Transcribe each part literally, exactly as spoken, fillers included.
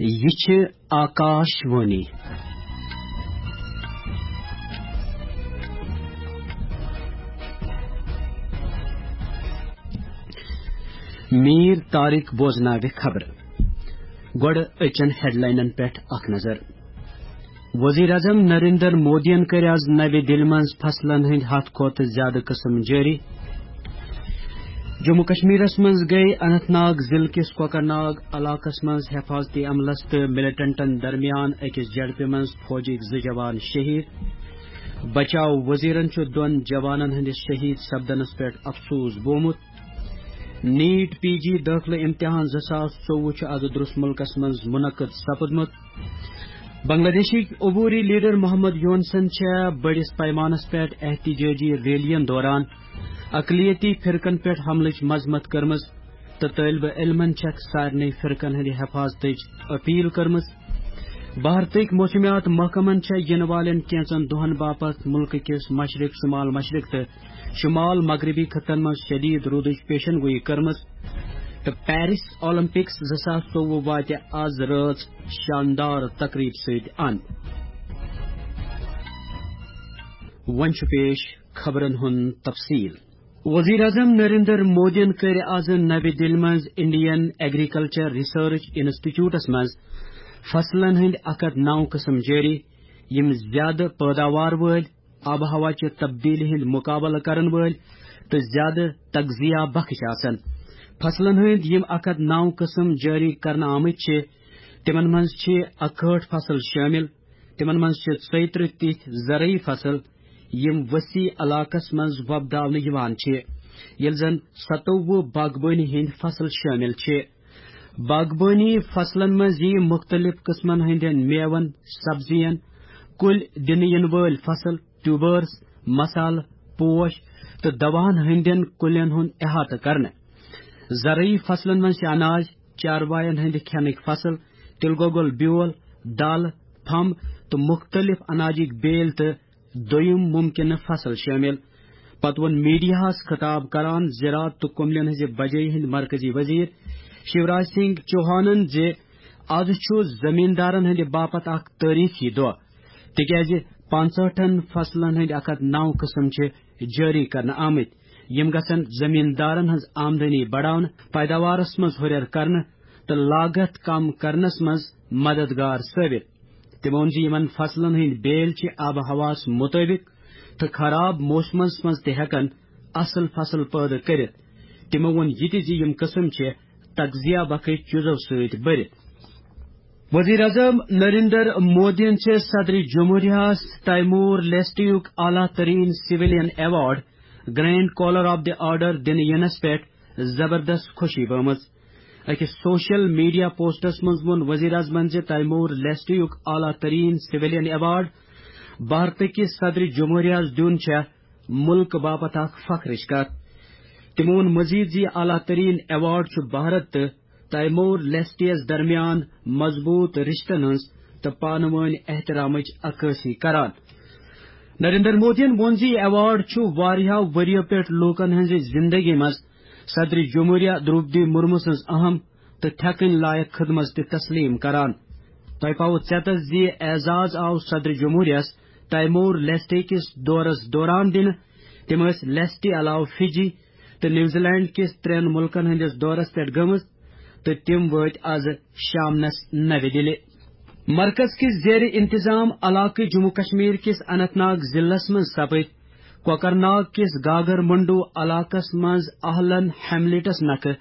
یہِ چھِ آکاش وانی۔ میٖر طارق بوزناوِ خبرٕ۔ گۄڈٕ أچھن ہیڈلاینن پٮ۪ٹھ اکھ نظر۔ وزیر اعظم نریندر مودیَن کٔرۍ آز نوِ دِلہِ منٛز فصلن ہٕنٛدۍ ہتھ کھۄتہٕ زیادٕ قٕسم جٲری۔ جموں کشمیرس منٛز گٔے اننت ناگ ضلعہٕ کِس کوکر ناگ علاقس منٛز حفاظتی عملس تہٕ ملیٹنٹن درمیان أکِس جھڑپہِ منٛز فوجٕکۍ زٕ جوان شہید۔ بچاو وزیرن چھُ دۄن جوانن ہٕنٛدِس شہید سپدنس پٮ۪ٹھ افسوس بومُت۔ نیٹ پی جی دٲخلہٕ امتحان زٕ ساس ژوٚوُہ چھُ از درس ملکس منٛز منعقد سپدمُت۔ بنگلہ دیشٕکۍ عبوری لیڈر محمد یونسن چھےٚ بٔڑِس پیمانس پٮ۪ٹھ احتجاجی ریلیَن دوران اقلیتی فرقن پٮ۪ٹھ حملٕچ مذمت کٔرمٕژ تہٕ طٲلبہِ علمن چھکھ سارنٕے فرقن ہٕنٛدِ حفاظتٕچ اپیل کٔرمٕژ۔ بھارتٕکۍ موسمیات محکمن چھےٚ یِنہٕ والٮ۪ن کینٛژن دۄہن باپتھ مُلکہٕ کِس مشرق، شمال مشرق تہٕ شمال مغربی خطن منٛز شدید روٗدٕچ پیشن گویی کٔرمٕژ۔ تہٕ پیرس اولمپکس زٕ ساس ژوٚوُہ واتہِ از رٲژ شاندار تقریب سۭتۍ اند۔ وۄنۍ چھُ پیش خبرن ہُنٛد تفصیل۔ وزیر اعظم نریندر مودیَن کٔرۍ از نوِ دِلہِ منٛز انڈین ایگریکلچر ریسرچ انسٹیٹیوٹس منٛز فصلن ہٕنٛدۍ اکھ ہتھ نو قٕسم جٲری، یِم زیادٕ پٲداوار وٲلۍ، آب و ہوا چہِ تبدیلی ہُنٛد مقابلہٕ کرن وٲلۍ تہٕ زیادٕ تغذیہ بخش آسن۔ فصلن ہٕنٛدۍ یِم اکھ ہتھ نو قٕسم جٲری کرنہٕ آمٕتۍ چھِ، تِمن منٛز چھِ اکہٲٹھ فصل شٲمِل۔ تِمن منٛز چھِ ژۄیہِ ترٕٛہ تِتھۍ زرعی فصل، یِم وسیع علاقس منٛز وۄپداونہٕ یِوان چھِ، ییٚلہِ زن ستووُہ باغبٲنی ہٕنٛدۍ فصل شٲمِل چھِ۔ باغبٲنی فصلن منٛز یِیہِ مُختٔلِف قٕسمن ہٕنٛدٮ۪ن میوَن، سبزین، کُلۍ دِنہٕ یِنہٕ وٲلۍ فصل، ٹیوبرز، مسالہٕ، پوش تہٕ دواہن ہٕنٛدٮ۪ن کُلٮ۪ن ہُنٛد احاطہٕ کرنہٕ۔ زرعی فصلن منٛز چھِ اناج، چارواین ہٕنٛدِ کھٮ۪نٕکۍ فصل، تِلہٕ گۄگُل بیول، دالہٕ، پھمب تہٕ مُختٔلِف اناجٕکۍ بیلۍ تہٕ دوٚیِم مُمکِنہٕ فصل شٲمِل۔ پتہٕ ووٚن میڈیاہَس خطاب کران زراعت تہٕ کُملٮ۪ن ہٕنٛزِ بجٲیی ہٕنٛدۍ مرکزی وزیر شیوراج سنگھ چوہانَن زِ از چھُ زمیٖندارن ہٕنٛدِ باپتھ اکھ تٲریخی دۄہ، تِکیازِ پانٛژہٲٹھن فصلن ہٕنٛدۍ اکھ ہتھ نو قٕسم چھِ جٲری کرنہٕ آمٕتۍ، یِم گژھن زمیٖندارن ہٕنٛز آمدنی بڑاونہٕ، پیداوارس منٛز ہُرٮ۪ر کرنہٕ تہٕ لاگت کم کرنس منٛز مددگار ثٲبت۔ تِمو ووٚن زِ یِمن فصلن ہٕنٛدۍ بیلۍ چھِ آب و ہوہَس مُطٲبِق تہٕ خراب موسمس منٛز تہِ ہٮ۪کن اصل فصل پٲدٕ کٔرِتھ۔ تِمو ووٚن یہِ تہِ زِ یِم قٕسم چھِ تغذیہ بخش چیٖزو سۭتۍ بٔرِتھ۔ وزیر اعظم نریندر مودیَن چھِ صدر جمہوریہ تیمور لیسٹیُک اعلیٰ ترین civilian award grand collar of the order دِنہٕ یِنس پٮ۪ٹھ زبردست خوشی بٲومٕژ۔ أکِس سوشل میڈیا پوسٹس منٛز ووٚن وزیر اعظمن زِ تیمور لیسٹیُک اعلیٰ ترین سویلین ایوارڈ بھارتٕکہِ صدر جمہوریہس دیُن چھےٚ مُلکہٕ باپتھ اکھ فخرٕچ کتھ۔ تِمو ووٚن مزید زِ یہِ اعلیٰ ترین ایوارڈ چھُ بھارت تہٕ تیمور لیسٹیَس درمیان مضبوط رشتن ہٕنٛز تہٕ پانہٕ وٲنۍ احترامٕچ عکٲسی کران۔ نریندر مودیَن ووٚن زِ یہِ ایوارڈ چھُ واریاہو ؤرۍیو پٮ۪ٹھ لوٗکن ہٕنٛزِ زِندگی منٛز صدر جمہوریہ دروپدی مرمو سٕنٛز اہم تہٕ تھٮ۪کٕنۍ لایق خدمژ تہِ تسلیم کران۔ تۄہہِ پاوٕ ژٮ۪تس زِ یہِ اعزاز آو صدر جمہوریہس تیمور لیسٹے کِس دورس دوران دِنہٕ۔ تِم ٲسۍ لیسٹے علاوٕ فجی تہٕ نیوزی لینڈ کِس ترٛٮ۪ن مُلکن ہٕنٛدِس دورس پٮ۪ٹھ گٔمٕژ تہٕ تِم وٲتۍ از شامنس نوِ دِلہِ۔ مرکز کِس زیر انتظام علاقہٕ جموں کشمیر کِس اننت ناگ ضلعس منٛز سپٕدۍ کوکرناگ کِس گاگر منڈو علاقس منٛز اہلن ہیملیٹس نکھٕ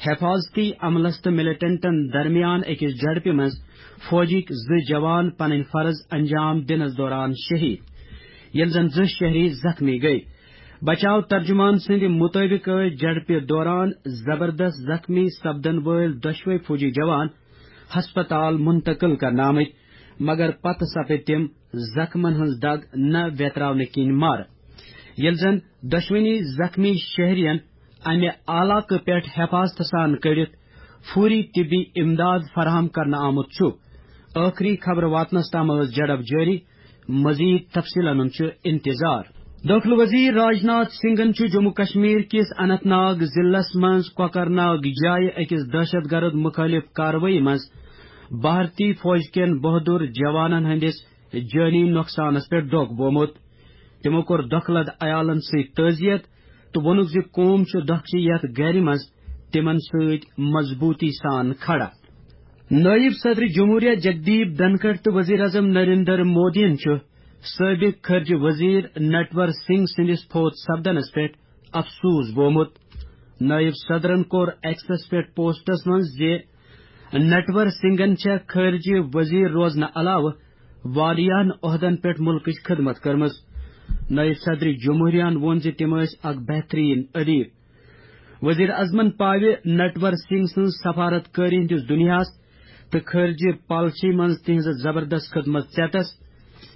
حفاظتی عملس تہٕ ملیٹنٹن درمیان أکِس جھڑپہِ منٛز فوجٕکۍ زٕ جوان پنٕنۍ فرض انجام دِنس دوران شہید، ییٚلہِ زن زٕ شہری زخمی گٔے۔ بچاو ترجمان سٕنٛدِ مُطٲبِق ٲسۍ جھڑپہِ دوران زبردست زخمی سپدن وٲلۍ دۄشوے فوجی جوان ہسپتال منتقل کرنہٕ آمٕتۍ، مگر پتہٕ سپٕدۍ تِم زخمن ہٕنٛز دگ نہ ویتراونہٕ کِنۍ مارٕ۔ ییٚلہِ زن دۄشوٕنی زخمی شہرین امہِ علاقہٕ پٮ۪ٹھ حفاظتہٕ سان کٔڑِتھ فوری طبی امداد فراہم کرنہٕ آمُت چھُ۔ ٲخری خبر واتنس تام ٲس جھڑپ جٲری، مزید تفصیلن ہُنٛد چھُ انتظار۔ دٲخلہٕ وزیر راجناتھ سنگھن چھُ جموں کشمیر کِس اننت ناگ ضلعس منٛز کوکرناگ جایہِ أکِس دہشت گرد مُخٲلف کاروٲیی منٛز بھارتی فوج کٮ۪ن بہادر جوانن ہٕنٛدِس جٲنی نۄقصانس پٮ۪ٹھ دۄکھ بومُت۔ تِمو کوٚر دۄکھٕ لد عیالن سۭتۍ تعزیت تہٕ ووٚنُکھ زِ قوم چھُ دۄکھچہِ یتھ گرِ منٛز تِمن سۭتۍ مضبوٗطی سان کھڑا۔ نٲیِب صدر جمہوریہ جگدیپ دھنکھڑ تہٕ وزیر اعظم نریندر مودیَن چھُ سٲبق خارجہ وزیر نٹور سنگھ سٕنٛدِس فوت سپدنس پٮ۪ٹھ افسوس بومُت۔ نٲیِب صدرن کوٚر ایکسس پٮ۪ٹھ پوسٹس منٛز زِ نٹور سنگھن چھےٚ خارجہ وزیر روزنہٕ علاوٕ واریاہن عہدن پٮ۪ٹھ ملکٕچ خدمت کٔرمٕژ۔ نٲیِب صدر جمہوریہن ووٚن زِ تِم ٲسۍ اکھ بہترین ادیب۔ وزیر اعظمن پاوِ نٹور سنگھ سٕنٛز سفارت کٲری ہٕنٛدِس دُنیاہس تہٕ خارجہ پالسی منٛز تِہنٛزٕ زبردست خدمت ژیتس۔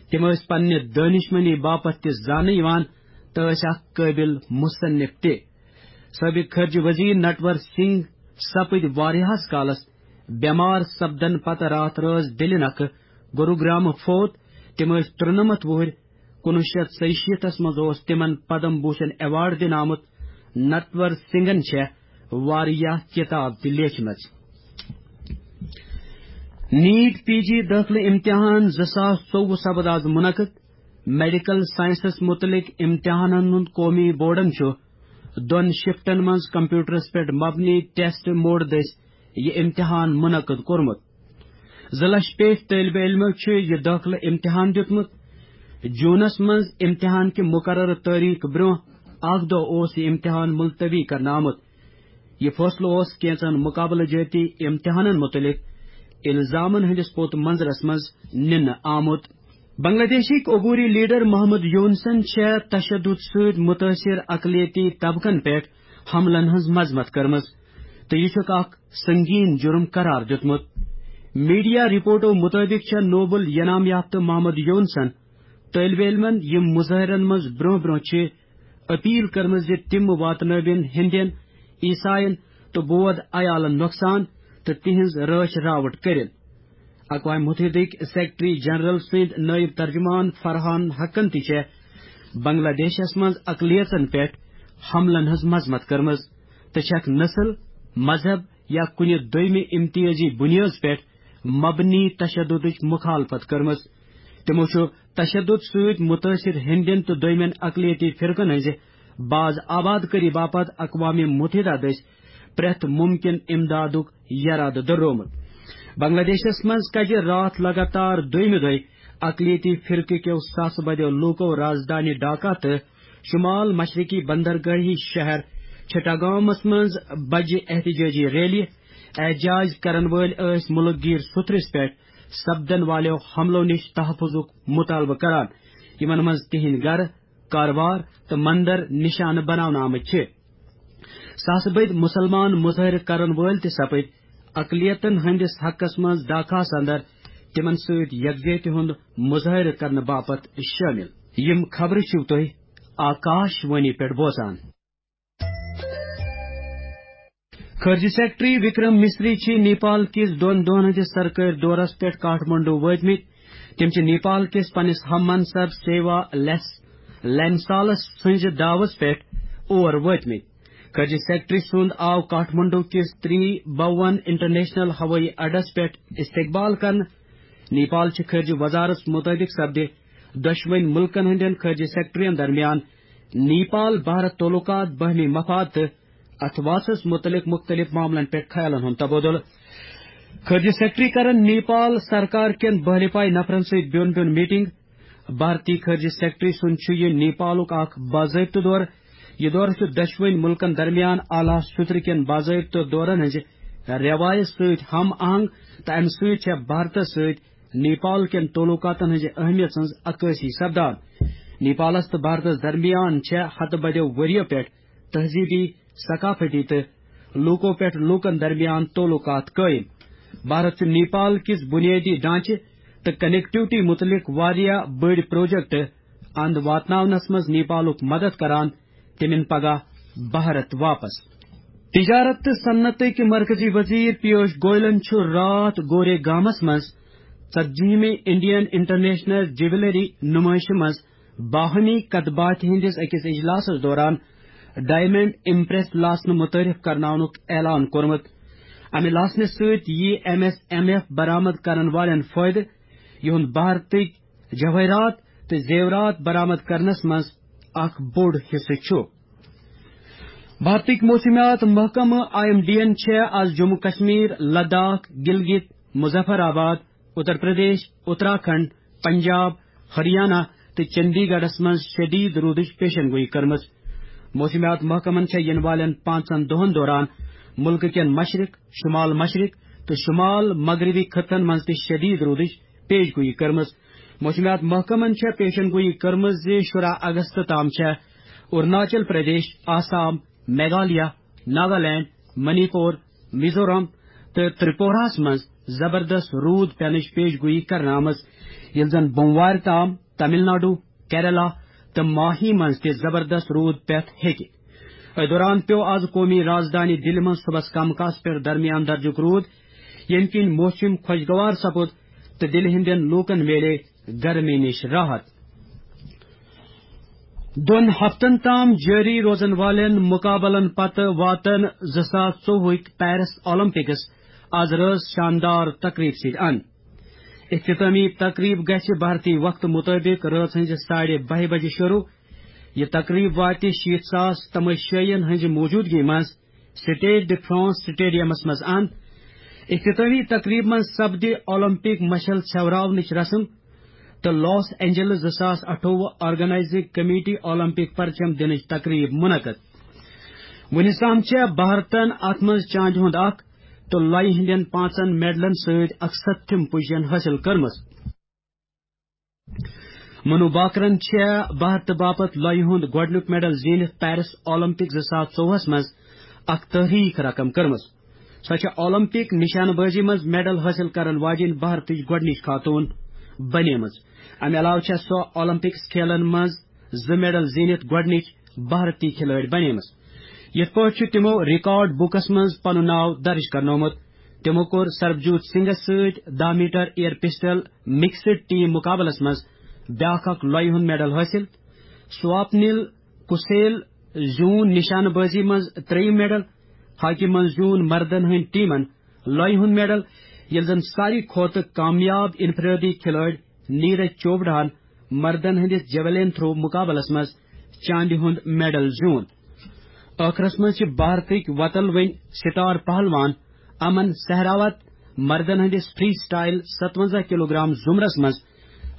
تِم ٲسۍ پننہِ دٲنشمندی باپتھ تہِ زاننہٕ یِوان تہٕ ٲسۍ اکھ قٲبل مصنف تہِ۔ سٲبق خارجہ وزیر نٹور سنگھ سپٕدۍ واریاہس کالس بٮ۪مار سپدن پتہٕ راتھ رٲژ دِلہِ نکھٕ گروگرام فوت۔ تِم ٲسۍ ترُنمتھ وُہٕرۍ۔ کُنوُہ شیٚتھ ژۄیہِ شیٖتس منٛز اوس تِمن پدم بھوشن ایوارڈ دِنہٕ آمُت۔ نٹور سنگھن چھےٚ واریاہ کتاب تہِ لیچھمژ۔ نیٹ پی جی دٲخلہٕ امتحان زٕ ساس ژوٚوُہ سپد آز منعقد۔ میڈیکل سائنسس متعلق امتحانن ہُنٛد قومی بورڈن چھُ دۄن شفٹن منٛز کمپیوٹرس پٮ۪ٹھ مبنی ٹیسٹ موڈ دٔسۍ یہِ امتحان منعقد کوٚرمُت۔ زٕ لچھ پٮ۪ٹھ طٲلبہِ علمو چھُ یہِ دٲخلہٕ امتحان دیُتمُت۔ جوٗنس منٛز امتحان کہِ مقررٕ تٲریخ برٛونٛہہ اکھ دۄہ اوس یہِ امتحان ملتوی کرنہٕ آمُت۔ یہِ فٲصلہٕ اوس کینٛژن مقابلہٕ جٲتی امتحانن مُتعلق الزامن ہٕنٛدِس پوٚت منظرس منٛز نِنہٕ آمُت۔ بنگلہ دیشٕکۍ عبوری لیڈر محمد یونسن چھےٚ تشدد سۭتۍ متٲثر اقلیتی طبقن پٮ۪ٹھ حملن ہٕنٛز مذمت کٔرمٕژ تہٕ یہِ چھُکھ اکھ سنگین جرم قرار دیُتمُت۔ میڈیا رپورٹو مطٲبق چھےٚ نوبل انعام یافتہٕ محمد یونسن طٲلبہِ علمن، یِم مظٲہرن منٛز برٛونٛہہ برٛونٛہہ چھِ، اپیل کٔرمٕژ زِ تِم واتنٲوِن ہیٚندٮ۪ن، عیساین تہٕ بود عیالن نۄقصان تہٕ تِہنٛز رٲچھ راوٹ کٔرِن۔ اقوام متحدٕکۍ سیکرٹری جنرل سٕنٛدۍ نٲیِب ترجمان فرحان حقن تہِ چھےٚ بنگلہ دیشس منٛز اقلیتن پٮ۪ٹھ حملن ہٕنٛز مذمت کٔرمٕژ تہٕ چھکھ نسل، مذہب یا کُنہِ دوٚیمہِ امتیازی بُنیٲدس پٮ۪ٹھ مبنی تشددٕچ مخالفت کٔرمٕژ۔ تِمو چھُ تشدد سۭتۍ متٲثر ہیٚندٮ۪ن تہٕ دوٚیمٮ۪ن اقلیتی فرقن ہٕنٛزِ باز آباد کٲری باپتھ اقوام متحدہ دٔسۍ پرٛٮ۪تھ ممکن امدادُک یرادٕ دۄہرومُت۔ بنگلہ دیشس منٛز کجہِ راتھ لگاتار دوٚیمہِ دۄہہِ اقلیتی فرقہٕ کیو ساسہٕ بدیو لوٗکو رازدانی ڈھاکہ تہٕ شمال مشرقی بندرگاہی شہر چٹاگامس منٛز بجہِ احتجاجی ریلی۔ احتجاج کرن وٲلۍ ٲسۍ ملک گیر ستھرس پٮ۪ٹھ سپدن والٮ۪و حملو نِش تحفظُک مطالبہٕ کران، یِمن منٛز تِہنٛدۍ گرٕ، کاربار تہٕ مندر نشانہٕ بناونہٕ آمٕتۍ چھِ۔ ساسہٕ بٔدۍ مُسلمان مظٲہرٕ کرن وٲلۍ تہِ سپٕدۍ اقلیتن ہٕنٛدِس حقس منٛز ڈھاکہس اندر تِمن سۭتۍ یکجہتی ہُنٛد مظٲہرٕ کرنہٕ باپتھ شٲمِل۔ یِم خبرٕ چھِو تُہۍ آکاش وانی پٮ۪ٹھ بوزان۔ خارجہ سیکرٹری وکرم مصری چھِ نیپال کِس دۄن دۄہن ہٕنٛدِس سرکٲرۍ دورس پٮ۪ٹھ کاٹھمنڈو وٲتمٕتۍ۔ تِم چھِ نیپال کِس پننِس ہم منصب سیوا لیس لینسالس سٕنٛزِ دعوس پٮ۪ٹھ اور وٲتمٕتۍ۔ خارجہ سیکرٹری سُنٛد آو کاٹھمنڈو کِس تری بھون انٹرنیشنل ہوٲیی اڈس پٮ۪ٹھ استقبال کرنہٕ۔ نیپال چہِ خارجہ وزارت مطٲبق سپدِ دۄشوٕنۍ مُلکن ہٕنٛدٮ۪ن خارجہ سیکرٹرین درمیان نیپال بھارت تعلقات، باہمی مفاد تہٕ اتھ واسس متعلق مختلف معاملن پٮ۪ٹھ خیالن ہُنٛد تبادلہٕ۔ خارجہ سیکرٹری کرن نیپال سرکار کٮ۪ن بہلہِ پایہِ نفرن سۭتۍ بیوٚن بیوٚن میٹنگ۔ بھارتی خارجہ سیکرٹری سُنٛد چھُ یہِ نیپالُک اکھ باضٲبطہٕ دورٕ۔ یہِ دورٕ چھُ دۄشوٕنۍ مُلکن درمیان اعلیٰ سطرٕ کٮ۪ن باضٲبطہٕ دورن ہٕنٛزِ روایت سۭتۍ ہم آہنگ تہٕ امہِ سۭتۍ چھےٚ بھارتس سۭتۍ نیپال کٮ۪ن تعلقاتن ہٕنٛزِ اہمیت ہٕنٛز عکٲسی سپدان۔ نیپالس تہٕ بھارتس درمیان چھےٚ ہتہٕ بدیو ؤرِیو پٮ۪ٹھ تہذیبی، ثقافتی تہٕ لوٗکو پٮ۪ٹھ لوٗکن درمیان تعلقات قٲیِم۔ بھارت چھُ نیپال کِس بُنیٲدی ڈھانچہٕ تہٕ کنیکٹیوٹی مُتعلق واریاہ بٔڑۍ پروجیکٹ اند واتناونس منٛز نیپالُک مدد کران، تِم یِن پگاہ بھارت واپس۔ تجارت تہٕ صنعتٕکۍ مرکزی وزیر پیوش گوئلن چھُ راتھ گورے گامس منٛز ژتجیہمہِ انڈین انٹرنیشنل جویلری نمائشہِ منٛز باہمی کتھ باتھِ ہٕنٛدِس أکِس اجلاسس دوران ڈائمنڈ امپرس لاسنہٕ متعارف کرناونُک اعلان کوٚرمُت۔ امہِ لاسنہٕ سۭتۍ یی ایم ایس ایم ایف برآمد کرن والٮ۪ن فٲیدٕ، یِہُنٛد بھارتٕکۍ جوٲہرات تہٕ زیورات برآمد کرنس منٛز اکھ بوٚڑ حصہٕ چھُ۔ بھارتٕکۍ موسمیات محکمہٕ آئی ایم ڈی یَن چھےٚ از جموں کشمیر، لداخ، گلگت، مظفر آباد، اتر پردیش، اتراکھنڈ، پنجاب، ہریانہ تہٕ چندی گڑھس منٛز شدید روٗدٕچ پیشن گویی کٔرمٕژ۔ موسمیات محکمن چھےٚ یِنہٕ والٮ۪ن پانٛژن دۄہن دوران مُلکہٕ کٮ۪ن مشرق، شمال مشرق تہٕ شمال مغربی خطن منٛز تہِ شدید روٗدٕچ پیش گویی کٔرمٕژ۔ موسمیات محکمن چھےٚ پیشن گویی کٔرمٕژ زِ شُراہ اگست تام چھےٚ اروناچل پردیش، آسام، میگھالیہ، ناگالینڈ، منی پور، میزورام تہٕ تریپوراہس منٛز زبردست روٗد پینٕچ پیش گویی کرنہٕ آمٕژ، ییٚلہِ زن بوموارِ تام تمل ناڈو، کیرلا تہٕ ماہی منٛز تہِ زبردست روٗد پٮ۪تھ ہیٚکہِ۔ أتھۍ دوران پیوٚو از قومی رازدانی دِلہِ منٛز صبحس کم کاس پٮ۪ٹھ درمیان درجُک روٗد، ییٚمہِ کِنۍ موسم خۄشگوار سپُد تہٕ دِلہِ ہٕنٛدٮ۪ن لوٗکن میلے گرمی نِش راحت۔ دۄن ہفتن تام جٲری روزن والٮ۪ن مقابلن پتہٕ واتن زٕ ساس ژوٚوُہٕکۍ پیرس اولمپکس از رٲژ شاندار تقریب سۭتۍ ان۔ اختتامی تقریب گژھِ بھارتی وقتہٕ مُطٲبِق رٲژ ہٕنٛزِ ساڑِ بَہہِ بجہِ شروع۔ یہِ تقریب واتہِ شیٖتھ ساس تماشٲیین ہٕنٛزِ موجودگی منٛز سٹیج ڈی فرانس سٹیڈیمس منٛز ان۔ اختتامی تقریب منٛز سپدِ اولمپک مشعل ژھیوراونٕچ رسم تہٕ لاس اینجلس زٕ ساس اَٹھووُہ آرگنائزنگ کمیٹی اولمپک پرچم دِنٕچ تقریب منعقد۔ وُنیُس تام چھےٚ بھارتن اتھ منٛز چاندِ ہُنٛد اکھ تہٕ لۄیہِ ہٕنٛدٮ۪ن پانٛژن میڈلن سۭتۍ اکستتھم پوزیشن حٲصِل کٔرمٕژ۔ منو بھاکرن چھےٚ بھارتہٕ باپتھ لۄیہِ ہُنٛد گۄڈٕنیُک میڈل زیٖنِتھ پیرس اولمپک زٕ ساس ژوٚوُہس منٛز اکھ تٲریخ رقم کٔرمٕژ۔ سۄ چھےٚ اولمپک نشانہٕ بٲزی منٛز میڈل حٲصِل کرن واجیٚنۍ بھارتٕچ گۄڈٕنِچ خاتون بنیمٕژ۔ امہِ علاوٕ چھےٚ سۄ اولمپکس کھیلن منٛز زٕ میڈل زیٖنِتھ گۄڈٕنِچ بھارتی کھلٲڑۍ بنیمٕژ۔ یِتھ پٲٹھۍ چھُ تِمو ریکارڈ بُکس منٛز پنُن ناو درج کرنومُت۔ تِمو کوٚر سربجوت سنگھس سۭتۍ دَہ metre air pistol mixed team مقابلس منٛز بیاکھ اکھ لۄیہِ ہُنٛد میڈل حٲصِل۔ سواپنیل کسیل زیوٗن نشانہٕ بٲزی منٛز ترٛیٚیِم میڈل۔ ہاکی منٛز زیوٗن مردن ہٕنٛدۍ ٹیمن لۄیہِ ہُنٛد میڈل، ییٚلہِ زن ساروی کھۄتہٕ کامیاب انفرٲدی کھلٲڑۍ نیرج چوپڑاہن مردن ہٕنٛدِس جیولین تھرو مقابلس منٛز چاندِ ہُنٛد میڈل زیوٗن۔ ٲخرس منٛز چھِ بھارتٕکۍ وۄتلوٕنۍ سٹار پہلوان امن سہراوت مردن ہٕنٛدِس فری سٹائل ستونزہ کلوگرام زمرس منٛز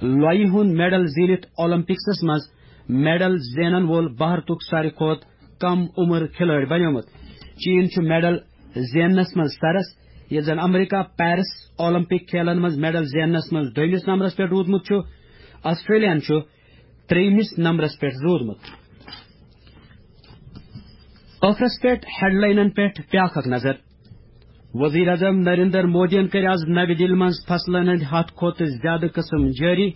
لۄیہِ ہُنٛد میڈل زیٖنِتھ اولمپکسس منٛز میڈل زینن وول بھارتُک ساروی کھۄتہٕ کم عمر کھلٲڑۍ بنیومُت۔ چین چھُ میڈل زیننس منٛز سرس، ییٚلہِ زن امریکہ پیرس اولمپک کھیلن منٛز میڈل زیننس منٛز دوٚیمِس نمبرس پٮ۪ٹھ روٗدمُت چھُ۔ آسٹریلیاہن چھُ ترٛیٚیمِس نمبرس پٮ۪ٹھ روٗدمُت۔ ٲخرس پٮ۪ٹھ ہیڈلاینن پٮ۪ٹھ بیاکھ اکھ نظر۔ وزیر اعظم نریندر مودیَن کٔرۍ آز نَوِ دِلہِ منٛز فصلن ہٕنٛدۍ ہَتھ کھۄتہٕ زِیٛادٕ قٕسم جٲری۔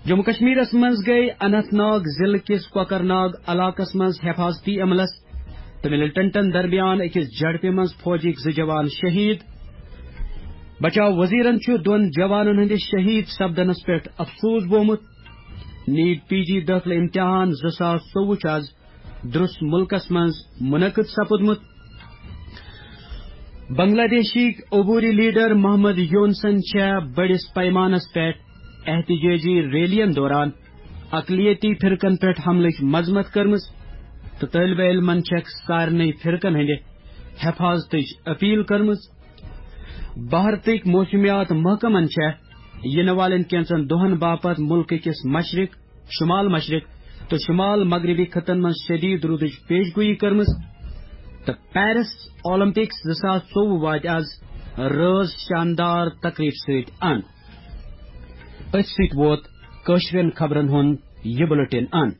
جموں کشمیرس منٛز گٔے اننت ناگ ضلعہٕ کِس کوکر ناگ علاقس منٛز حفاظتی عملس تہٕ ملیٹنٹن درمیان أکِس جھڑپہِ منٛز فوجٕکۍ زٕ جوان شہید۔ بچاو وزیرن چھُ دۄن جوانن ہٕنٛدِس شہید سپدنس پٮ۪ٹھ افسوس بومُت۔ نیٹ پی جی دٲخلہٕ امتحان زٕ ساس ژوٚوُہ چھُ آز درس ملکس منٛز منعقد سپدمُت۔ بنگلہ دیشٕکۍ عبوری لیڈر محمد یونسن چھےٚ بٔڑِس پیمانس پٮ۪ٹھ احتجاجی ریلین دوران اقلیتی فرقن پٮ۪ٹھ حملٕچ مذمت کٔرمٕژ تہٕ طٲلبہِ علمن چھکھ سارنٕے فرقن ہٕنٛدِ حفاظتٕچ اپیل کٔرمٕژ۔ بھارتٕکۍ موسمیات محکمن چھےٚ یِنہٕ والٮ۪ن کینٛژن دۄہن باپتھ مُلکہٕ کِس مشرق، شمال مشرق تہٕ شمال مغربی خطن منٛز شدید روٗدٕچ پیش گویی کٔرمٕژ تہٕ پیرس اولمپکس زٕ ساس ژوٚوُہ واتہِ آز رٲژ شاندار تقریب سۭتۍ ان۔ أتھۍ سۭتۍ ووت کٲشرٮ۪ن خبرن ہُنٛد یہِ بُلٹن ان۔